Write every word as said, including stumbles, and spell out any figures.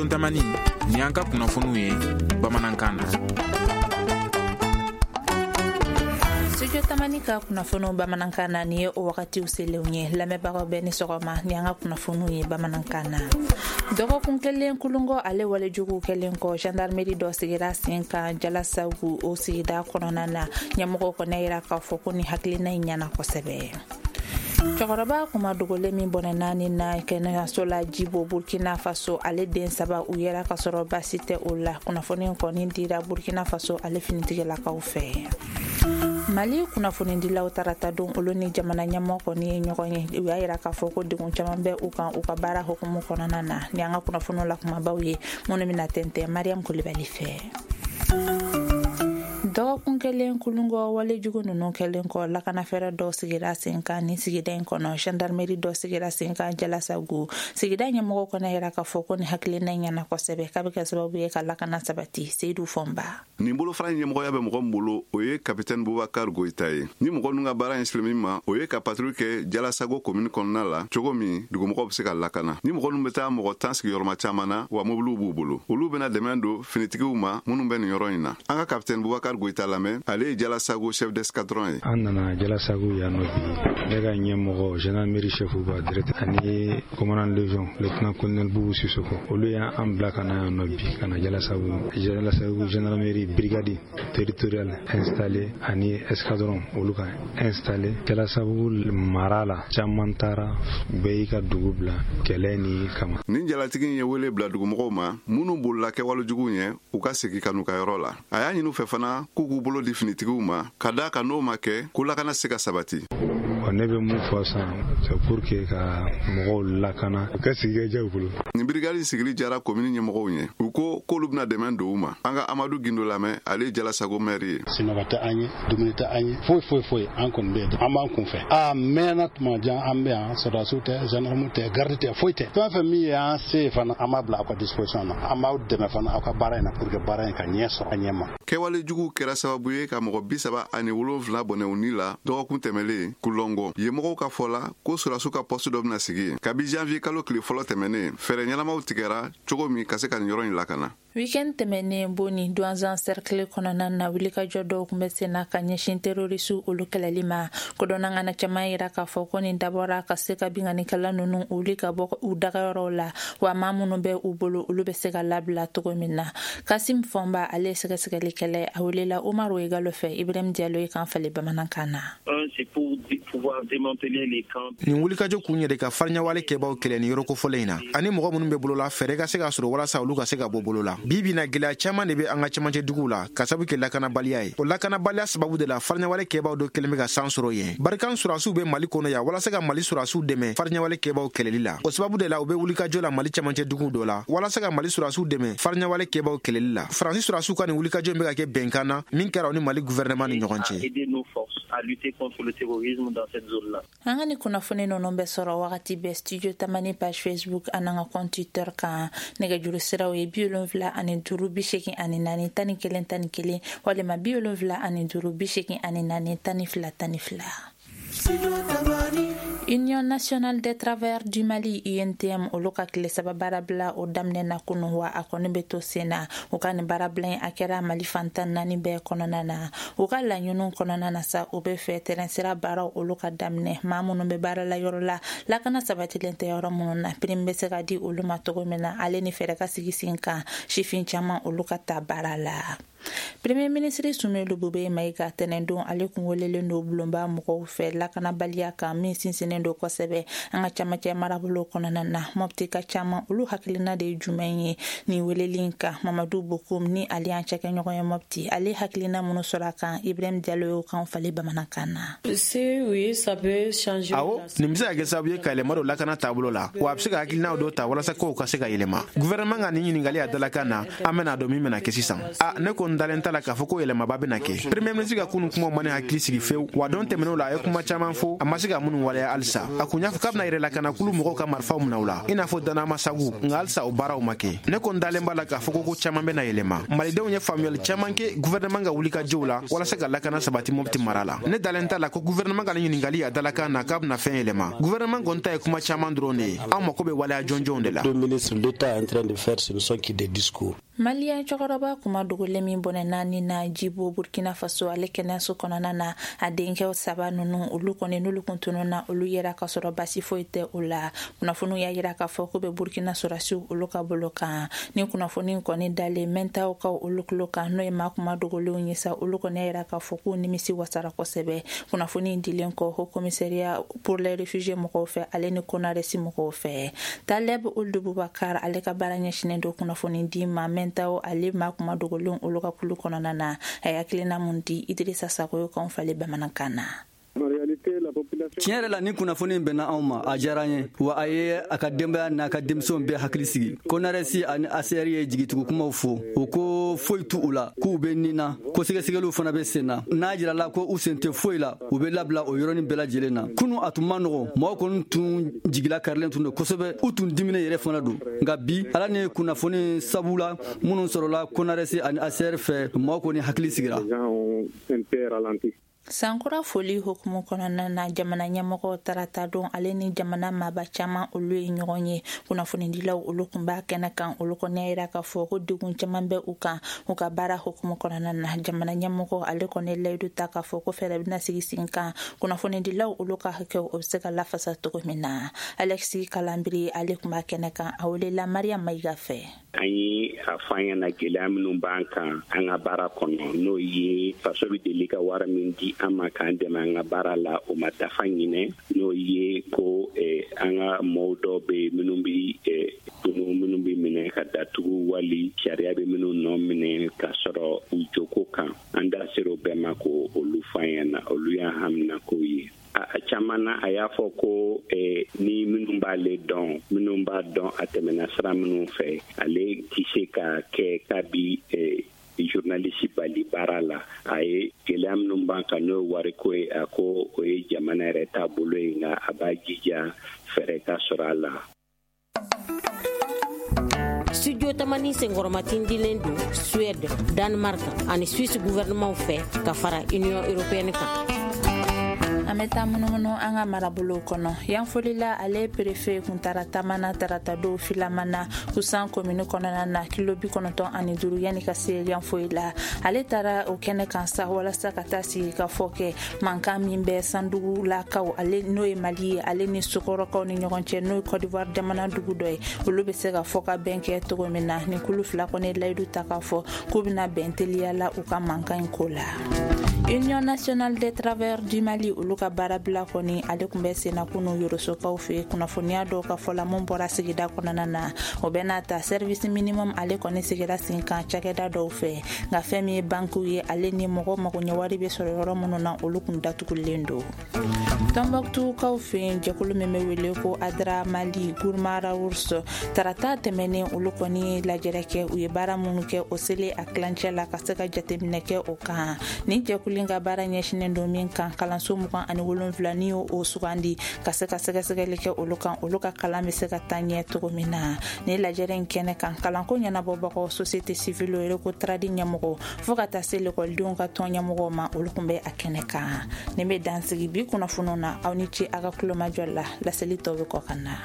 Studio Tamani, nin y'an ka kunnafoniw ye bamanankan na. Studio Tamani ka kunnafoniw bamanankan na, nin ye o wagatiw selenw ye. Lamɛnbagaw bɛɛ ni sɔgɔma, ni an ka kunnafoniw ye bamanankan na. Dɔgɔkun kelen Kulungo ale walejuguw kɛlen kɔ, gendarmerie dɔ sigira sen kan Jalasagu o sigida kɔnɔna na. Ɲɛmɔgɔw kɔni yira k'a fɔ ko ni hakilina in ɲɛna kosɛbɛ. Cɛkɔrɔba kuma dogolen min bɔnɛ naani na kɛnɛyaso la Jibo, Burkina Faso, ale den saba u yɛrɛ ka sɔrɔ baasi tɛ o la. Kunnafoni kɔni dira Burkina Faso ale finitigilakaw fɛ. Mali kunnafonidilaw tarata don, olu ni jamana ɲɛmɔgɔ kɔni ye ɲɔgɔn ye. U y'a yira k'a fɔ ko degun caman bɛ u kan u ka baara hukumu kɔnɔna na. Ni an ka kunnafoniw la kumabaw ye minnu bɛna tɛntɛn Mariam Kulibali fɛ. Dɔgɔkun kelen Kulungɔ walejugu ninnu kɛlen kɔ, lakanafɛɛrɛ dɔw sigira sen kan ni sigida in kɔnɔ. Gendarmerie dɔ sigira sen kan Jalasagu. Sigida ɲɛmɔgɔw kɔnɔ yira k'a fɔ ko ni hakilina in ɲɛna kosɛbɛ, k'a bɛ kɛ sababu ye ka lakana sabati. Seydou Fɔnba. Nin bolofara ɲɛmɔgɔya bɛ mɔgɔ min bolo, o ye capitaine Boubacar Goïta ye. Ni mɔgɔ ninnu ka baara ɲɛsilen min ma, o ye ka patrouille kɛ Jalasago commune kɔnɔna la, cogo min dugumɔgɔw bɛ se ka lakana. Ni mɔgɔ ninnu bɛ taa mɔgɔ tan sigiyɔrɔma caman na, wa mobiliw b'u bolo. Olu bɛna dɛmɛ don finitigiw ma minnu bɛ nin yɔrɔ in na. An ka capitaine Boubacar Goïta lamɛn, ale ye Jalasago chef d'escadron ye. An nana Jalasago yan nɔ bi, ne ka ɲɛmɔgɔ gendarmerie chef ba directeur ani commandant légion lieutenant colonel Boubou Sissoko, olu y'an bila ka na yan nɔ bi, ka na Jalasago Jalasago gendarmerie brigade territoriale installée ani escadron olu ka installé Jalasago mara la. Caman taara, bɛɛ y'i ka dugu bila kɛlɛ ni kama. Nin jalatigi in ye wele bila dugumɔgɔw ma minnu bolila kɛwale juguw ɲɛ, u ka segin ka n'u ka yɔrɔ la. A y'a ɲini u fɛ fana k'u k'u bolo di finitigiw ma, ka d'a kan n'o ma kɛ ko lakana se ka sabati. Ne bɛ mun fɔ sisan, c'est pour que ka mɔgɔw lakana, u ka sigi ka diya u bolo. Nin brigade sigili jara commune ɲɛmɔgɔw ɲɛ. U ko k'olu bɛna dɛmɛ don u ma. An ka Amadu Gindo lamɛn, ale ye Jalasago maire ye. Sinɔgɔ tɛ an ye, dumuni tɛ an ye, foyi foyi foyi. An kɔni bɛ yen, an b'an kunfɛ. A mɛnna tuma jan an bɛ yan, sɔrɔdasiw tɛ, gendarme tɛ, garde tɛ, foyi tɛ. Fɛn fɛn min ye an se fana, an b'a bila aw ka disposition na. An b'aw dɛmɛ fana aw ka baara in na pour que baara in ka ɲɛ sɔrɔ a ɲɛ ma. Kɛwale juguw kɛra sababu ye ka mɔgɔ bi saba ani wolonfila bɔnɛ u ni la dɔgɔkun tɛmɛlen Kulɔngɔ. Yen mɔgɔw ka fɔ la ko sɔrɔdasiw ka poste dɔ bɛna sigi yen. Kabi janvier kalo tile fɔlɔ tɛmɛnen, fɛɛrɛ ɲɛnamaw tigɛra cogo min ka se ka nin yɔrɔ in lakana. Weekend tɛmɛnen, Boni Douentza cercle kɔnɔna na, wulikajɔ dɔw tun bɛ sen na ka ɲɛsin terroriste olu kɛlɛli ma. Kodɔnna ŋana caman yira k'a fɔ ko nin dabɔra ka se ka binkannikɛla ninnu wuli ka bɔ u dagayɔrɔw la, wa maa minnu bɛ u bolo, olu bɛ se ka labila cogo min na. Kasim Fɔnba, ale ye sɛgɛsɛgɛlikɛla ye, a welela Umaru Igalo fɛ. Ibrahim Diallo ye kan falen bamanankan na. Nin wulikajɔ kun yɛrɛ ka fariɲawale kɛbaw kɛlɛ ni yɔrɔ kofɔlen in na, ani mɔgɔ minnu bɛ bolo la, fɛɛrɛ ka se ka sɔrɔ walasa olu ka se ka bɔ bolo la. Bi bi na, gɛlɛya caman de bɛ an ka cɛmancɛ duguw la ka sabu kɛ lakanabaliya ye. O lakanabaliya sababu de la, fariɲawale kɛbaw dɔ kɛlen bɛ ka san sɔrɔ yen. Barkhane surasiw bɛ Mali kɔnɔ yan walasa ka Mali surasiw dɛmɛ fariɲawale kɛbaw kɛlɛli la. O sababu de la, u bɛ wulikajɔ la Mali cɛmancɛ duguw dɔ la walasa ka Mali surasiw dɛmɛ fariɲawale kɛbaw kɛlɛli la. Faransi surasiw ka nin wulikajɔ in bɛ ka kɛ bɛnkan na min kɛra u ni Mali gouvernement ni ɲɔgɔn cɛ. An ka ni kunnafoni ninnu bɛ sɔrɔ wagati bɛɛ Studio Tamani page Facebook an'an ka compte Twitter kan. Nɛgɛjuru siraw ye bi wolonfila ani duuru bi seegin ani naani tan ni kelen tan ni kelen walima bi wolonfila ani duuru bi seegin ani naani tan ni fila tan ni fila. Union nationale des travailleurs du Mali, U N T M, olu ka tile saba baarabila o daminɛ na kunu, wa a kɔni bɛ to sen na. U ka nin baarabila in, a kɛra Mali fantan naani bɛɛ kɔnɔna na. U ka laɲiniw kɔnɔna na sa, u bɛ fɛ tɛrɛn sira baaraw olu ka daminɛ, maa minnu bɛ baara la yɔrɔ la, lakana sabatilen tɛ yɔrɔ minnu na, prime bɛ se ka di olu ma cogo min na, ale ni fɛɛrɛ ka sigi sen kan sifin caman olu ka ta baara la. Premier ministre Soumeylou Boubèye Maïga, tɛnɛndon ale kun welelen don bulonba mɔgɔw fɛ lakanabaliya kan min sinsinnen don kosɛbɛ an ka camancɛ marabolo kɔnɔna na. Mɔpti ka caman olu hakilina de ye jumɛn ye nin weleli in kan? Mamadu Bokum ni ale y'an cɛkɛɲɔgɔn ye Mɔpti, ale hakilina minnu sɔrɔ a kan, Ibrahim Diallo y'o kan falen bamanankan na. Awɔ, nin bɛ se ka kɛ sababu ye ka yɛlɛma don lakana taabolo la, wa a bɛ se ka hakilinaw dɔ ta walasa kow ka se ka yɛlɛma. Gouvernement ka nin ɲininkali a dalakan na, an bɛna dɔn min bɛna kɛ sisan. A ne kɔni ko n dalen t'a la k'a fɔ ko yɛlɛmaba bɛna kɛ. Premier ministre ka kunun kumaw ma ne hakili sigi fewu, wa don tɛmɛnenw la a ye kuma caman fɔ, a ma se ka minnu waleya halisa. A kun y'a fɔ k'a bɛna yɛrɛlakanakulu mɔgɔw ka marifaw minɛ u la, i n'a fɔ Danamasagu, nka halisa o baaraw ma kɛ. Ne ko n dalen b'a la k'a fɔ ko ko caman bɛna yɛlɛma. Malidenw ye faamuyali caman kɛ gouvernement ka wulikajɔw la walasa ka lakana sabati Mopti mara la. Ne dalen t'a la ko gouvernement ka nin ɲininkali a dalakan na k'a bɛna fɛn yɛlɛma. Gouvernement kɔni ta ye kuma caman dɔrɔn de ye, anw mako bɛ waleya jɔnjɔnw de la. Maliyɛn cɛkɔrɔba kuma dogolen min bɔnɛ naani na Jibo Burkina Faso ale kɛnɛyaso kɔnɔna na, a denkɛw saba ninnu olu kɔni n'olu kun tununna, olu yɛrɛ ka sɔrɔ basi foyi tɛ o la. Kunnafoniw y'a yira k'a fɔ ko bɛ Burkina sɔrɔsiw olu ka bolo kan. Ni kunnafoni kɔni dalen mɛntaw ka olu tulo kan, n'o ye maa kuma dogolenw ye sa, olu kɔni y'a yira k'a fɔ k'u nimisi wasara kosɛbɛ. Kunnafoni dilen kɔ Haut Commissariat pour les réfugiés mɔgɔw fɛ ale ni Konaresi mɔgɔw fɛ. Taleb Ould Boubacar ale ka baara ɲɛsinnen don kunnafoni di ma mɛntaw ale maa kuma dogolenw olu ka kulu kɔnɔna na. A ye hakilina mun di Idrissa Sakoyo kanw falen bamanankan na. Tiɲɛ yɛrɛ la, ni kunnafoni in bɛnna anw ma, a diyara an ye, wa a ye a ka denbaya n'a ka denmisɛnw bɛɛ hakili sigi. Konaresi ani A C R ye jigitugu kumaw fɔ, u ko foyi t'u u la, k'u bɛ nin na, ko sɛgɛsɛgɛliw fana bɛ sen na. N'a jirala ko u sen tɛ foyi la, u bɛ labila o yɔrɔnin bɛɛ lajɛlen na. Kunun a tun man nɔgɔn, mɔgɔw kɔni tun jigila karilen tun don kosɛbɛ, u tun diminen yɛrɛ fana don. Nka bi, Ala ni kunnafoni sabu la minnu sɔrɔla Konaresi ani A C R fɛ, mɔgɔw kɔni hakili sigira. Sankura foli hukumu kɔnɔna na, jamana ɲɛmɔgɔw tarata don ale ni jamana maaba caman olu ye ɲɔgɔn ye. Kunnafonidilaw olu kun b'a kɛnɛ kan, olu kɔni y'a yira k'a fɔ ko degun caman bɛ u kan u ka baara hukumu kɔnɔna na. Jamana ɲɛmɔgɔ ale kɔni layidu ta k'a fɔ ko fɛɛrɛ bɛna sigi sen kan kunnafonidilaw olu ka hakɛw o bɛ se ka lafasa cogo min na. Alexis Kalambiri ale kun b'a kɛnɛ kan, a welela Mariam Mayiga fɛ. An ye a fɔ an ɲɛna gɛlɛya minnu b'an kan an ka baara kɔnɔ, n'o ye faso bɛ deli ka wari min di an ma k'an dɛmɛ an ka baara la, o ma dafa ɲinɛ, n'o ye ko an ka mɔgɔw dɔw bɛ yen minnu bɛ tunu, minnu bɛ minɛ ka datugu, wali sariya bɛ minnu nɔ minɛ ka sɔrɔ u joko kan. An da sera o bɛɛ ma ko olu fɔ an ɲɛna, olu y'an haminakow ye. A caman na a y'a fɔ ko eh, ni minnu b'ale dɔn, minnu b'a dɔn a tɛmɛna sira minnu fɛ, ale tɛ se ka kɛ kabi eh, journaliste bali baara la. A ye gɛlɛya minnu b'an kan n'o ye wariko ye, a ko o ye jamana yɛrɛ taabolo ye, nka a b'a jija fɛɛrɛ ka sɔrɔ a la. Studio Tamani senkɔrɔmatindilen don Suède, Danemark ani Suisse gouvernement fɛ ka fara Union européenne kan. An bɛ taa munumunu an ka marabolow kɔnɔ. Yanfolila ale préfet kun taara taama na tarata don filamana Kusan commune kɔnɔna na, kilo bi kɔnɔntɔn ani duuru yanni ka se Yanfoyi la. Ale taara o kɛnɛ kan sa walasa ka taa sigi ka fɔ kɛ mankan min bɛ Sandugulakaw ale n'o ye Mali ye ale ni Sokɔrɔkaw ni ɲɔgɔn cɛ, n'o ye Côte d'Ivoire jamana dugu dɔ ye, olu bɛ se ka fɔ ka bɛn kɛ cogo min na. Ni kulu fila kɔni layidu ta k'a fɔ k'u bɛna bɛn teliya la u ka mankan in ko la. Union nationale des travailleurs du Mali olu ka baarabila kɔni ale tun bɛ senna kunun Yorosokaw fɛ. Kunnafoniya dɔw ka fɔ la mun bɔra sigida kɔnɔna na, o bɛ n'a ta service minimum ale kɔni sigira sen kan cakɛda dɔw fɛ, nka fɛn min ye bankiw ye ale ni mɔgɔ magoɲɛwari bɛ sɔrɔ yɔrɔ minnu na, olu kun datugulen don. Tɔnbɔkutukaw fɛ yen, jɛkulu min bɛ wele ko Adra Mali Gourmara Ours, tarata tɛmɛnen olu kɔni ye lajɛrɛ kɛ. U ye baara minnu kɛ o selen a tilancɛ la ka se ka jateminɛ kɛ o kan. Ni jɛkulu ka baara ɲɛsinnen don min kan, kalanso mugan ani wolonwula ni y'o sugandi ka se ka sɛgɛsɛgɛli kɛ olu kan, olu ka kalan bɛ se ka taa ɲɛ cogo min na. Ni lajɛrɛ in kɛnɛ kan, kalanko ɲɛnabɔbagaw, société civile yɛrɛ ko tradi ɲɛmɔgɔ fo ka taa se lekɔlidenw ka tɔn ɲɛmɔgɔw ma, olu kun bɛ a kɛnɛ kan. Nin bɛ dansigi bi kunnafoniw na. Aw ni ce a ka kulomajɔ la, laseli tɔ bɛ kɔ ka na.